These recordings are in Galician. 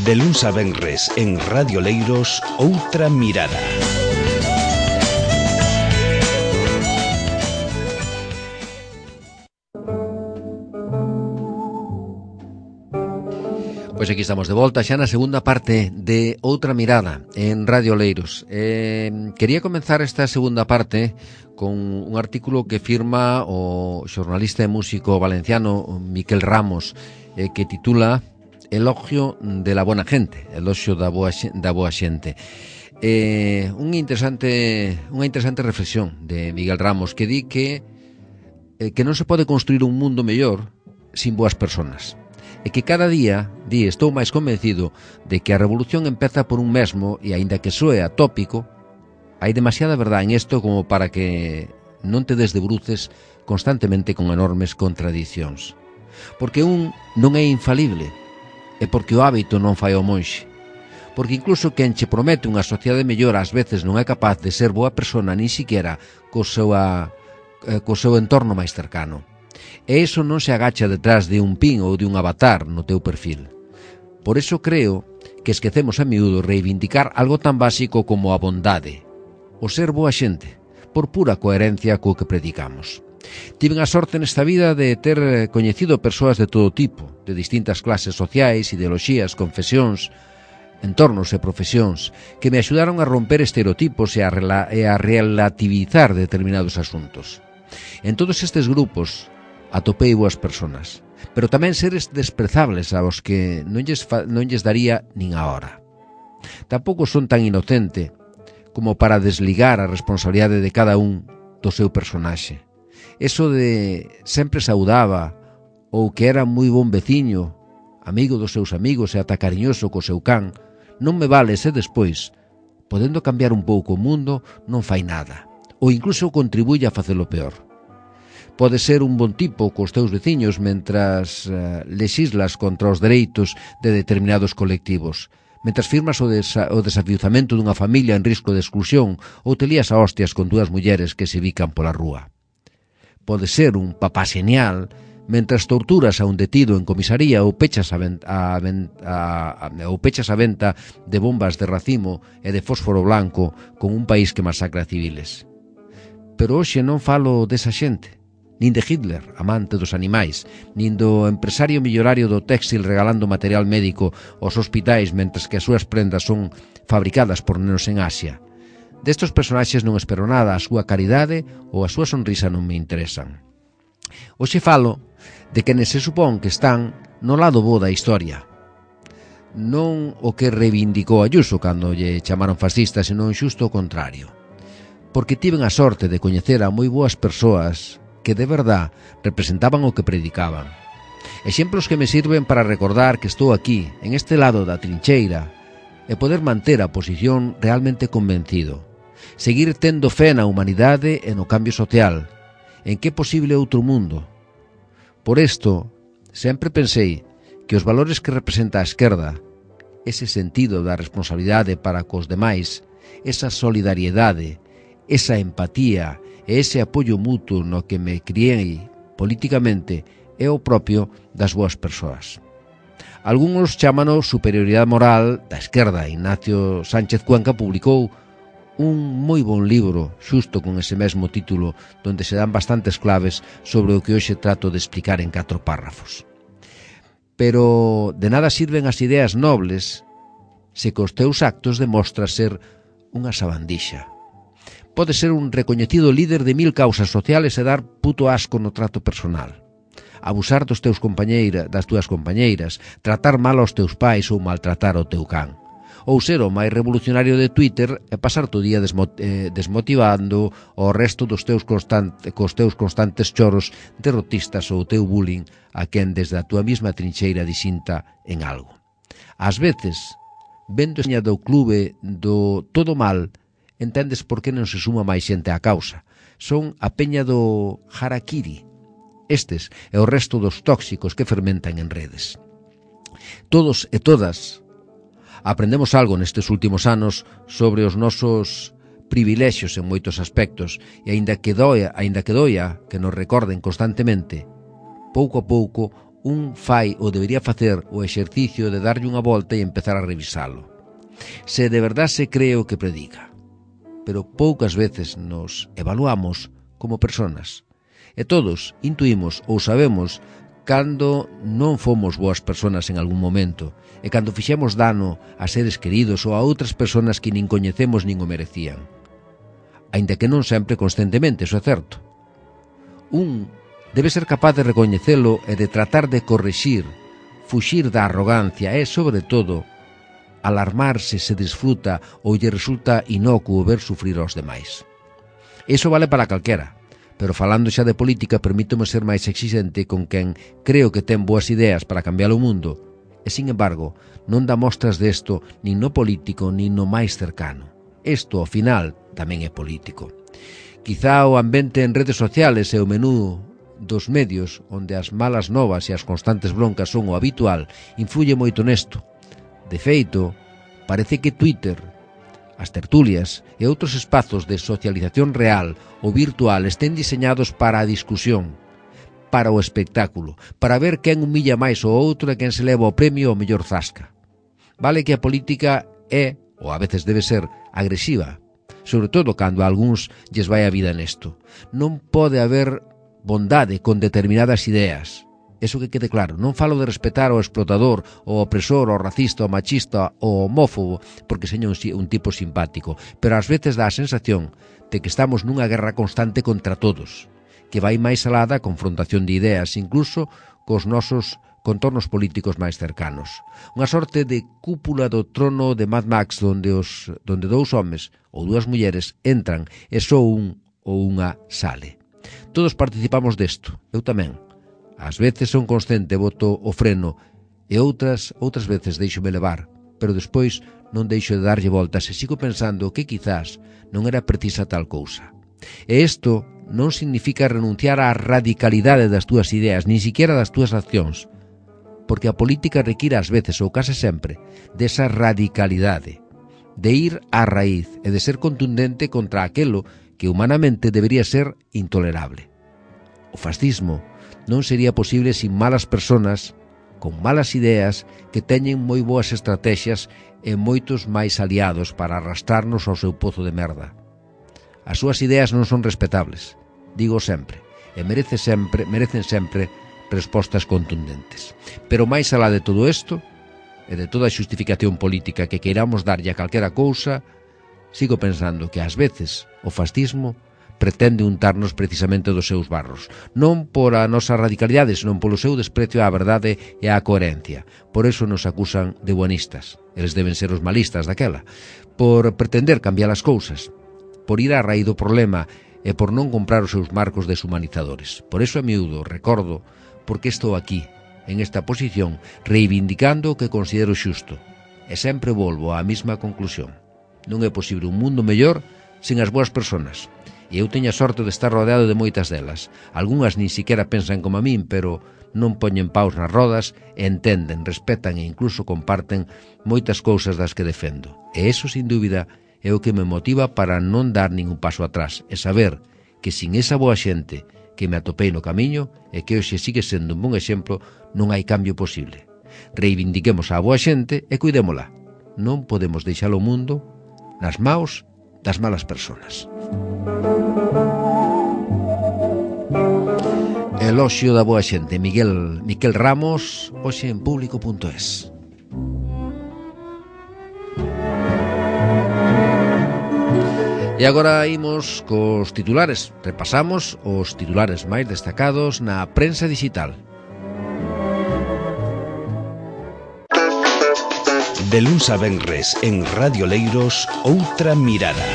De luns a venres en Radio Leiros, Outra Mirada. Pois aquí estamos de volta xa na segunda parte de Outra Mirada en Radio Leiros. Quería comenzar esta segunda parte con un artículo que firma o xornalista e músico valenciano Miquel Ramos, que titula Elogio de la buena gente, elogio da boa xente. Unha interesante reflexión de Miguel Ramos, que di que non se pode construir un mundo mellor sin boas personas. E que cada día, estou máis convencido de que a revolución empeza por un mesmo e, aínda que soe atópico, hai demasiada verdade en isto como para que non te desdebruces constantemente con enormes contradicións. Porque un non é infalible, e porque o hábito non fai o monxe. Porque incluso quen che promete unha sociedade mellor ás veces non é capaz de ser boa persona nin siquiera co seu entorno máis cercano. E iso non se agacha detrás de un pin ou de un avatar no teu perfil. Por iso creo que esquecemos a miúdo reivindicar algo tan básico como a bondade, o ser boa xente, por pura coherencia co que predicamos. Tiven a sorte nesta vida de ter coñecido persoas de todo tipo, de distintas clases sociais, ideoloxías, confesións, entornos e profesións, que me axudaron a romper estereotipos e a relativizar determinados asuntos. En todos estes grupos atopei boas personas, pero tamén seres desprezables aos que non lles daría nin a hora. Tampouco son tan inocente como para desligar a responsabilidade de cada un do seu personaxe. Eso de sempre saudaba ou que era moi bon veciño, amigo dos seus amigos e ata cariñoso co seu can, non me vale se despois, podendo cambiar un pouco o mundo, non fai nada, ou incluso contribuye a facelo peor. Pode ser un bon tipo cos teus veciños mentras lexislas contra os dereitos de determinados colectivos, mentras firmas o desafiuzamento dunha familia en risco de exclusión ou te lías a hostias con dúas mulleres que se bican pola rúa. Pode ser un papá xenial mentras torturas a un detido en comisaría ou pechas a venta de bombas de racimo e de fósforo blanco con un país que masacra civiles. Pero hoxe non falo desa xente, nin de Hitler, amante dos animais, nin do empresario millonario do téxtil regalando material médico aos hospitais mentras que as súas prendas son fabricadas por nenos en Asia. Destos personaxes non espero nada, a súa caridade ou a súa sonrisa non me interesan. Hoxe falo de quenes se supón que están no lado bo da historia. Non o que reivindicou Ayuso cando lle chamaron fascista, senón xusto o contrario. Porque tiven a sorte de coñecer a moi boas persoas que de verdad representaban o que predicaban. Exemplos que me sirven para recordar que estou aquí, en este lado da trincheira, e poder manter a posición realmente convencido. Seguir tendo fe na humanidade e no cambio social, en que é posible outro mundo. Por isto, sempre pensei que os valores que representa a esquerda, ese sentido da responsabilidade para cos demais, esa solidariedade, esa empatía e ese apoio mutuo no que me criei políticamente é o propio das boas persoas. Algúns chámano superioridade moral da esquerda. Ignacio Sánchez Cuenca publicou un moi bon libro xusto con ese mesmo título donde se dan bastantes claves sobre o que hoxe trato de explicar en 4 párrafos. Pero de nada sirven as ideas nobles se cos teus actos demostras ser unha sabandixa. Pode ser un recoñecido líder de 1000 causas sociales e dar puto asco no trato personal. Abusar das túas compañeiras, tratar mal aos teus pais ou maltratar o teu can. Ou ser o máis revolucionario de Twitter e pasar o día desmotivando o resto cos teus constantes choros derrotistas ou o teu bullying a quen desde a túa mesma trincheira disinta en algo. Ás veces, vendo a seña do clube do todo mal, entendes por que non se suma máis xente á causa. Son a peña do harakiri. Estes e o resto dos tóxicos que fermentan en redes. Todos e todas aprendemos algo nestes últimos anos sobre os nosos privilexios en moitos aspectos e aínda que doia que nos recorden constantemente, pouco a pouco un fai ou debería facer o exercicio de darlle unha volta e empezar a revisalo. Se de verdad se cree o que predica. Pero poucas veces nos evaluamos como personas. E todos intuímos ou sabemos cando non fomos boas personas en algún momento e cando fixemos dano a seres queridos ou a outras personas que nin coñecemos nin o merecían. Aínda que non sempre conscientemente, iso é certo. Un debe ser capaz de recoñecelo e de tratar de corrixir, fuxir da arrogancia e, sobre todo, alarmarse se disfruta ou lle resulta inocuo ver sufrir aos demais. Iso vale para calquera, pero falando xa de política permítome ser máis exixente con quen creo que ten boas ideas para cambiar o mundo e, sin embargo, non dá mostras desto nin no político nin no máis cercano. Isto, ao final, tamén é político. Quizá o ambiente en redes sociales e o menú dos medios, onde as malas novas e as constantes broncas son o habitual, influye moito nesto. De feito, parece que Twitter, as tertulias e outros espazos de socialización real ou virtual estén diseñados para a discusión, para o espectáculo, para ver quen humilla máis o outro e quen se leva o premio ao mellor zasca. Vale que a política é, ou a veces debe ser, agresiva, sobre todo cando a algúns lles vai a vida nesto. Non pode haber bondade con determinadas ideas. Eso que quede claro, non falo de respetar ao explotador, ao opresor, ao racista, ao machista, ao homófobo, porque seña un tipo simpático, pero ás veces dá a sensación de que estamos nunha guerra constante contra todos, que vai máis alá da confrontación de ideas, incluso cos nosos contornos políticos máis cercanos. Unha sorte de cúpula do trono de Mad Max onde dous homes ou dúas mulleres entran e só un ou unha sale. Todos participamos desto, eu tamén. Ás veces son consciente, boto o freno e outras veces deixo-me levar, pero despois non deixo de darlle voltas e sigo pensando que quizás non era precisa tal cousa. E isto non significa renunciar á radicalidade das túas ideas, nin siquiera das túas accións, porque a política require ás veces, ou case sempre, desa radicalidade, de ir á raíz e de ser contundente contra aquelo que humanamente debería ser intolerable. O fascismo non sería posible sin malas personas, con malas ideas, que teñen moi boas estrategias e moitos máis aliados para arrastrarnos ao seu pozo de merda. As súas ideas non son respetables, digo sempre, e merecen sempre respostas contundentes. Pero máis alá de todo isto, e de toda a xustificación política que queiramos darlle a calquera cousa, sigo pensando que ás veces o fascismo pretende untarnos precisamente dos seus barros, non por a nosa radicalidade, senón polo seu desprecio á verdade e á coherencia. Por eso nos acusan de buenistas, eles deben ser os malistas daquela, por pretender cambiar as cousas, por ir á raíz do problema e por non comprar os seus marcos deshumanizadores. Por eso a miúdo recordo porque estou aquí, en esta posición, reivindicando o que considero xusto, e sempre volvo á mesma conclusión. Non é posible un mundo mellor sen as boas persoas. E eu teño a sorte de estar rodeado de moitas delas. Algúnas nin siquiera pensan como a min, pero non poñen paus nas rodas e entenden, respetan e incluso comparten moitas cousas das que defendo. E iso, sin dúbida, é o que me motiva para non dar ningún paso atrás e saber que sin esa boa xente que me atopei no camiño e que hoxe sigue sendo un bon exemplo, non hai cambio posible. Reivindiquemos a boa xente e cuidémola. Non podemos deixar o mundo nas maos das malas persoas. Eloxio da boa xente, Miquel Ramos, hoxe en Público.es. E agora imos cos titulares. Repasamos os titulares máis destacados na prensa digital. De luns a venres en Radio Leiros, Outra Mirada.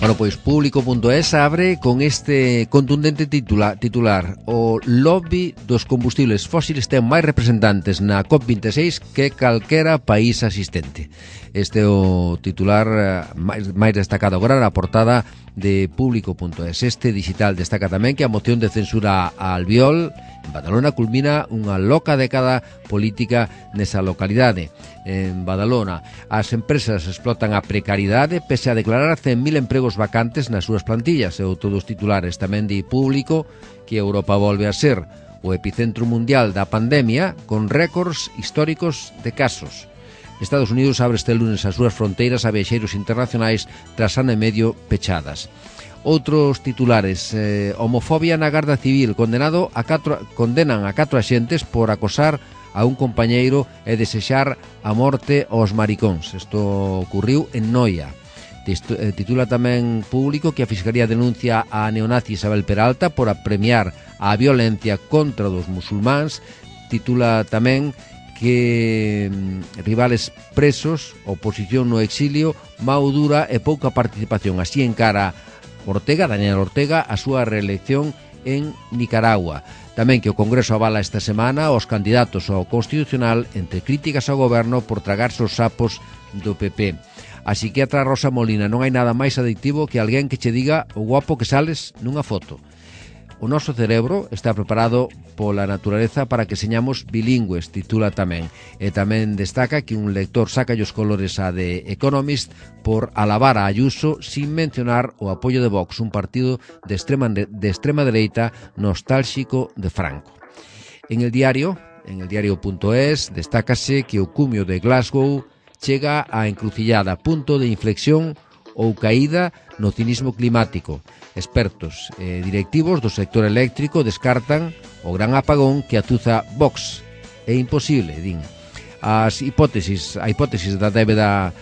Bueno, pois Público.es abre con este contundente titular. O lobby dos combustibles fósiles ten máis representantes na COP26 que calquera país asistente. Este é o titular máis destacado agora na portada de Público.es. Este digital destaca tamén que a moción de censura a Albiol en Badalona culmina unha loca década política nesa localidade. En Badalona, as empresas explotan a precariedade pese a declarar 100.000 empregos vacantes nas súas plantillas. E outro dos titulares tamén di Público que Europa volve a ser o epicentro mundial da pandemia con récords históricos de casos. Estados Unidos abre este lunes as súas fronteiras a viaxeiros internacionais tras ano e medio pechadas. Outros titulares, homofobia na Garda Civil, condenan a 4 axentes por acosar a un compañeiro e desexar a morte aos maricóns. Isto ocurriu en Noia. Titula tamén Público que a Fiscalía denuncia a neonazi Isabel Peralta por apremiar a violencia contra os musulmáns. Titula tamén que rivales presos, oposición no exilio, mao dura e pouca participación. Así encara Daniel Ortega, a súa reelección en Nicaragua. Tamén que o Congreso avala esta semana os candidatos ao Constitucional entre críticas ao goberno por tragarse os sapos do PP. A psiquiatra Rosa Molina: non hai nada máis adictivo que alguén que che diga o guapo que sales nunha foto. O noso cerebro está preparado pola naturaleza para que señamos bilingües, titula tamén. E tamén destaca que un lector saca os colores a The Economist por alabar a Ayuso sin mencionar o apoio de Vox, un partido de extrema dereita nostálxico de Franco. En el diario.es, destácase que o cumio de Glasgow chega á encrucillada, punto de inflexión ou caída no cinismo climático. Expertos e directivos do sector eléctrico descartan o gran apagón que atuza Vox. É imposible, din. A hipótesis da débeda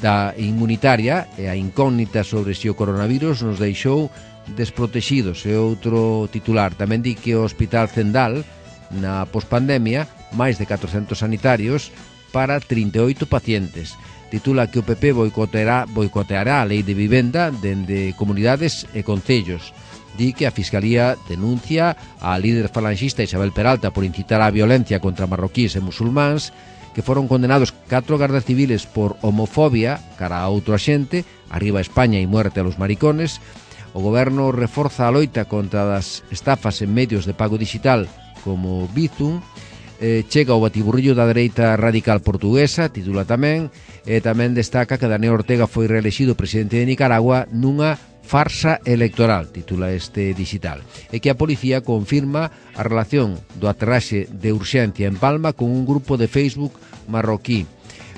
da inmunitaria e a incógnita sobre se o coronavirus nos deixou desprotexidos. É outro titular. Tamén di que o Hospital Zendal, na pospandemia, máis de 400 sanitarios para 38 pacientes. Titula que o PP boicoteará a lei de vivenda dende comunidades e concellos. Di que a Fiscalía denuncia a líder falanxista Isabel Peralta por incitar a violencia contra marroquíes e musulmáns, que foron condenados 4 gardas civiles por homofobia cara a outro axente. Arriba España e muerte a los maricones. O goberno reforza a loita contra as estafas en medios de pago digital como Bizum. Chega o batiburrillo da dereita radical portuguesa, titula tamén. E tamén destaca que Daniel Ortega foi reelexido presidente de Nicaragua nunha farsa electoral, titula este digital. E que a policía confirma a relación do aterraxe de urxencia en Palma con un grupo de Facebook marroquí.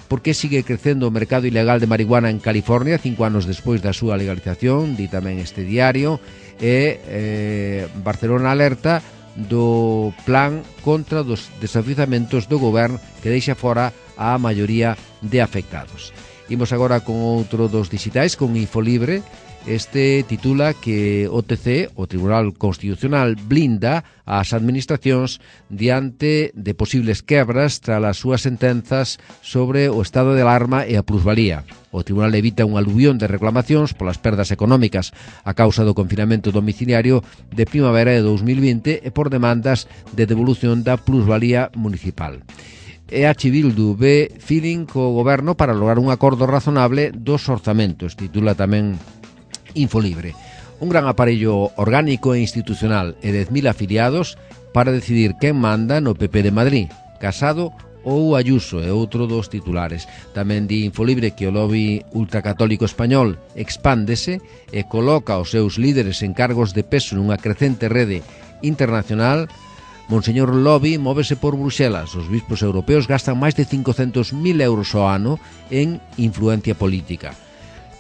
Por que sigue crecendo o mercado ilegal de marihuana en California 5 anos despois da súa legalización, di tamén este diario. E Barcelona alerta do plan contra dos desafiuzamentos do goberno que deixa fora a maioría de afectados. Imos agora con outro dos digitais, con Infolibre. Este titula que o TC, o Tribunal Constitucional, blinda as administracións diante de posibles quebras tras as súas sentenzas sobre o estado de alarma e a plusvalía. O Tribunal evita un aluvión de reclamacións polas perdas económicas a causa do confinamento domiciliario de primavera de 2020 e por demandas de devolución da plusvalía municipal. EH Bildu ve feeling co goberno para lograr un acordo razonable dos orzamentos, titula tamén Infolibre. Un gran aparello orgánico e institucional e 10.000 afiliados para decidir quen manda no PP de Madrid, Casado ou Ayuso, é outro dos titulares. Tamén di Infolibre que o lobby ultracatólico español expándese e coloca os seus líderes en cargos de peso nunha crecente rede internacional. Monseñor Lobby móvese por Bruxelas. Os bispos europeos gastan máis de 500.000 euros ao ano en influencia política.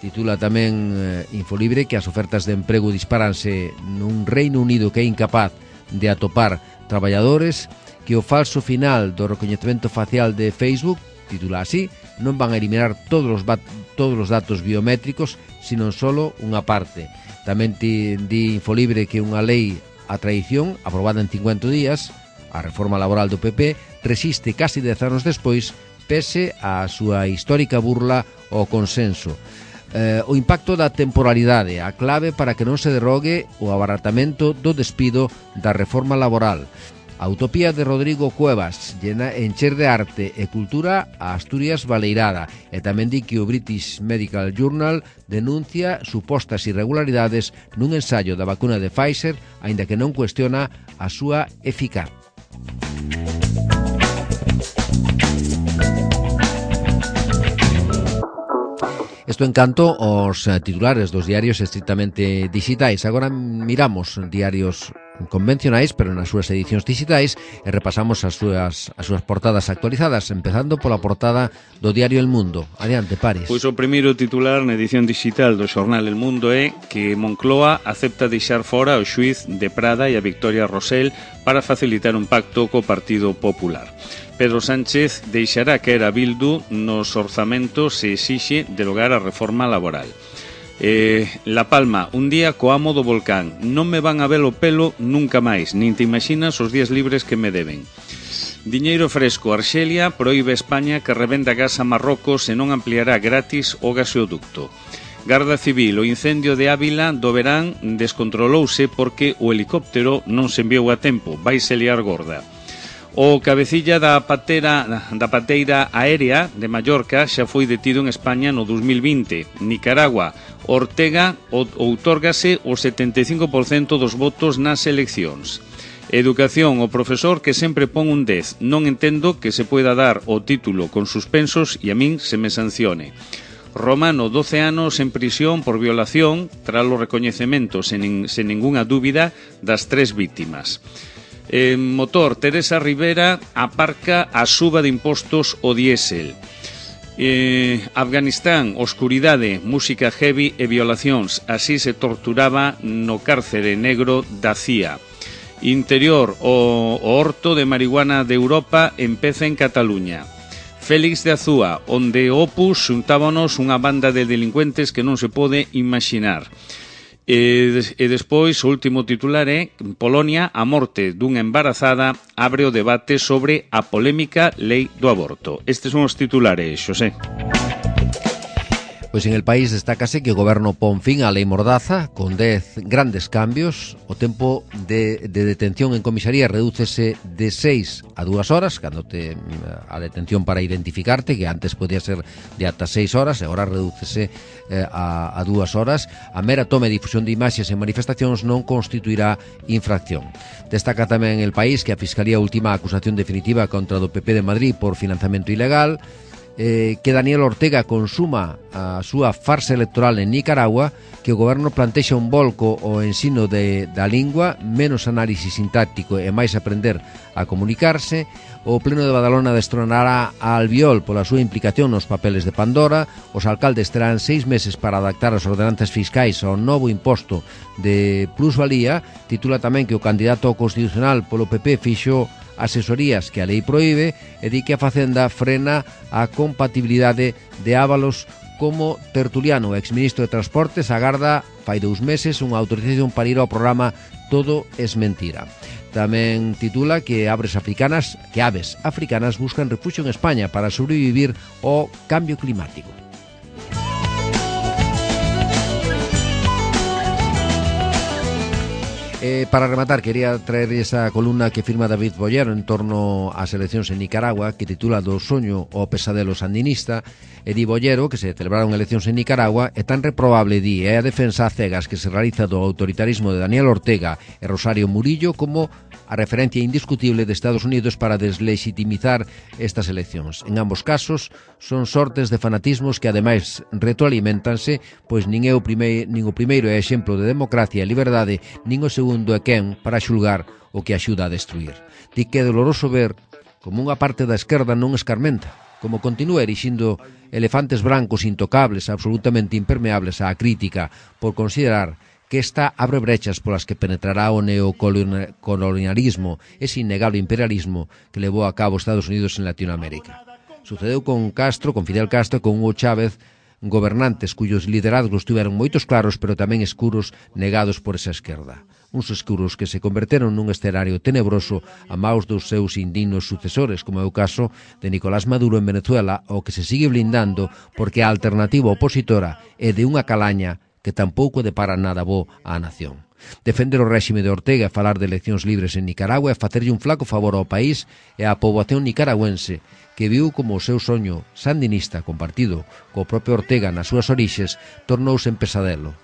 Titula tamén Infolibre que as ofertas de emprego disparanse nun Reino Unido que é incapaz de atopar traballadores, que o falso final do recoñecemento facial de Facebook, titula así, non van a eliminar todos os datos biométricos, sino solo unha parte. Tamén di Infolibre que unha lei a traición, aprobada en 50 días, a reforma laboral do PP, resiste casi 10 anos despois, pese á súa histórica burla ao consenso. O impacto da temporalidade, a clave para que non se derrogue o abaratamento do despido da reforma laboral. A utopía de Rodrigo Cuevas llena encher de arte e cultura a Asturias baleirada, e tamén di que o British Medical Journal denuncia supostas irregularidades nun ensayo da vacuna de Pfizer, aínda que non cuestiona a súa eficaz. Isto en canto aos titulares dos diarios estritamente digitais. Agora miramos diarios convencionais, pero nas súas edicións digitais, e repasamos as súas portadas actualizadas, empezando pola portada do diario El Mundo. Adiante, Paris. Pois o primeiro titular na edición digital do xornal El Mundo é que Moncloa acepta deixar fora o xuiz de Prada e a Victoria Rosell para facilitar un pacto co Partido Popular. Pedro Sánchez deixará caer a Bildu nos orzamentos e exixe derogar a reforma laboral. La Palma, un día co amo do volcán. Non me van a ver o pelo nunca máis, nin te imaginas os días libres que me deben. Diñeiro fresco, Arxelia proíbe a España que revenda gas a Marrocos e non ampliará gratis o gasoducto. Garda Civil, o incendio de Ávila do verán descontrolouse porque o helicóptero non se enviou a tempo, vaise liar gorda. O cabecilla da pateira aérea de Mallorca xa foi detido en España no 2020. Nicaragua, Ortega outórgase o 75% dos votos nas eleccións. Educación, o profesor que sempre pon un 10. Non entendo que se poida dar o título con suspensos e a min se me sancione. Romano, 12 anos en prisión por violación tras o recoñecemento sen ningunha dúbida das 3 vítimas. Motor, Teresa Rivera aparca a suba de impostos o diésel. Afganistán, oscuridade, música heavy e violacións. Así se torturaba no cárcere negro da CIA. Interior, o horto de marihuana de Europa empeza en Cataluña. Félix de Azúa, onde Opus xuntábanos unha banda de delincuentes que non se pode imaginar. E despois o último titular é Polonia, a morte dunha embarazada abre o debate sobre a polémica lei do aborto. Estes son os titulares, Xosé. Pois en el país destácase que o goberno pon fin á lei Mordaza con 10 grandes cambios. O tempo de detención en comisaría redúcese de 6 a 2 horas, cando a detención para identificarte, que antes podía ser de ata 6 horas, e agora redúcese a 2 horas. A mera toma e difusión de imaxes en manifestacións non constituirá infracción. Destaca tamén el país que a Fiscalía ultima a acusación definitiva contra do PP de Madrid por financiamento ilegal, que Daniel Ortega consuma a súa farsa electoral en Nicaragua, que o goberno plantexa un volco ao ensino da lingua, menos análisis sintáctico e máis aprender a comunicarse. O Pleno de Badalona destronará a Albiol pola súa implicación nos papeles de Pandora. Os alcaldes terán 6 meses para adaptar as ordenanzas fiscais ao novo imposto de plusvalía. Titula tamén que o candidato constitucional polo PP fixo asesorías que a lei proíbe e di que a Facenda frena a compatibilidade de Ábalos como tertuliano. O exministro de Transportes agarda fai 2 meses unha autorización para ir ao programa Todo es Mentira. Tamén titula que aves africanas buscan refuxio en España para sobrevivir ao cambio climático. Para rematar, quería traer esa columna que firma David Bollero en torno ás eleccións en Nicaragua, que titula Do soño ao pesadelo sandinista. E di Bollero que se celebraron eleccións en Nicaragua e tan reprobable di é a defensa a cegas que se realiza do autoritarismo de Daniel Ortega e Rosario Murillo como a referencia indiscutible de Estados Unidos para deslegitimizar estas eleccións. En ambos casos son sortes de fanatismos que ademais retroalimentanse, pois nin o primeiro é exemplo de democracia e liberdade, nin o segundo é quen para xulgar o que axuda a destruir. Di que é doloroso ver como unha parte da esquerda non escarmenta, como continúa erixindo elefantes brancos intocables, absolutamente impermeables á crítica, por considerar que esta abre brechas polas que penetrará o neocolonialismo, ese innegable imperialismo que levou a cabo Estados Unidos en Latinoamérica. Sucedeu con Fidel Castro, con Hugo Chávez, gobernantes cuyos liderazgos tiveron moitos claros, pero tamén escuros negados por esa esquerda. Uns escuros que se converteron nun escenario tenebroso a maus dos seus indignos sucesores, como é o caso de Nicolás Maduro en Venezuela, o que se sigue blindando porque a alternativa opositora é de unha calaña que tampouco depara nada bo á nación. Defender o réxime de Ortega e falar de eleccións libres en Nicaragua é facerlle un flaco favor ao país e á poboación nicaragüense que viu como o seu soño sandinista compartido co propio Ortega nas súas orixes tornouse en pesadelo.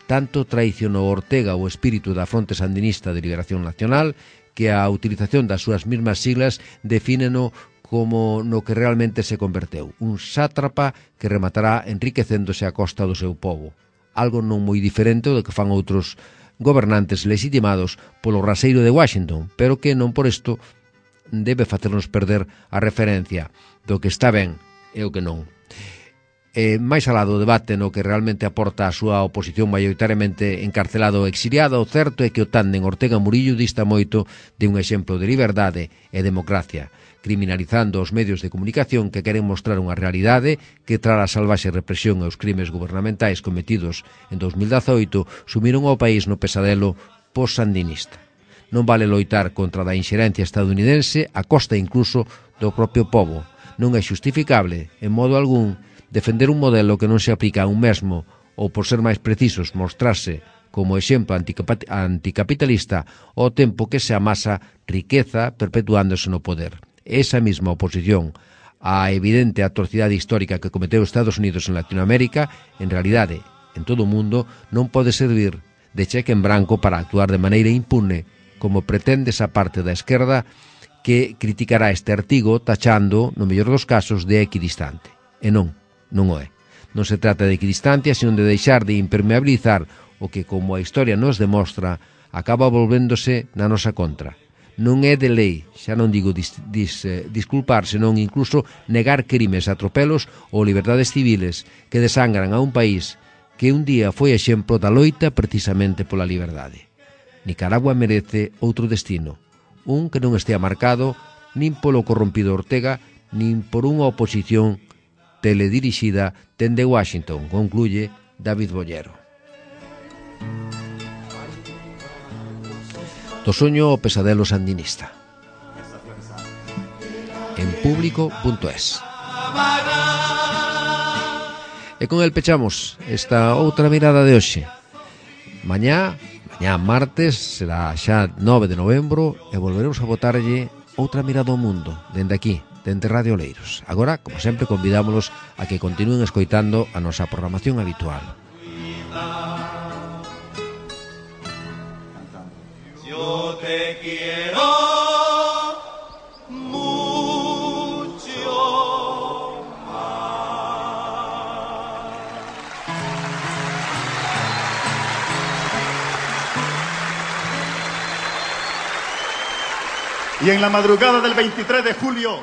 Tanto traicionou Ortega o espírito da Fronte Sandinista de Liberación Nacional que a utilización das súas mesmas siglas defíneno como no que realmente se converteu, un sátrapa que rematará enriquecéndose a costa do seu povo, algo non moi diferente do que fan outros gobernantes legitimados polo raseiro de Washington, pero que non por isto debe facernos perder a referencia do que está ben e o que non. Máis alá do debate no que realmente aporta a súa oposición maioritariamente encarcelado ou exiliado, o certo é que o tándem Ortega-Murillo dista moito de un exemplo de liberdade e democracia, criminalizando os medios de comunicación que queren mostrar unha realidade que, tras a salvaxe represión e os crimes gubernamentais cometidos en 2018, sumiron ao país no pesadelo post-sandinista. Non vale loitar contra a inxerencia estadounidense a costa incluso do propio pobo. Non é xustificable, en modo algún, defender un modelo que non se aplica a un mesmo ou, por ser máis precisos, mostrarse como exemplo anticapitalista ao tempo que se amasa riqueza perpetuándose no poder. Esa mesma oposición á evidente atrocidade histórica que cometeu Estados Unidos en Latinoamérica, en realidade, en todo o mundo, non pode servir de cheque en branco para actuar de maneira impune, como pretende esa parte da esquerda que criticará este artigo tachando, no mellor dos casos, de equidistante. E non o é. Non se trata de equidistancia, sino de deixar de impermeabilizar o que, como a historia nos demostra, acaba volvéndose na nosa contra. Non é de lei, xa non digo disculpar, senón incluso negar crimes, atropelos ou liberdades civiles que desangran a un país que un día foi exemplo da loita precisamente pola liberdade. Nicaragua merece outro destino, un que non estea marcado nin polo corrompido Ortega, nin por unha oposición teledirixida dende Washington, concluye David Bollero. Do soño ao pesadelo sandinista. En público.es. E con el pechamos esta outra mirada de hoxe. Mañá martes, será xa 9 de novembro e volveremos a botarlle outra mirada ao mundo, dende aquí, dende Radio Oleiros. Agora, como sempre, convidámolos a que continúen escoitando a nosa programación habitual. Yo te quiero mucho más. Y en la madrugada del 23 de julio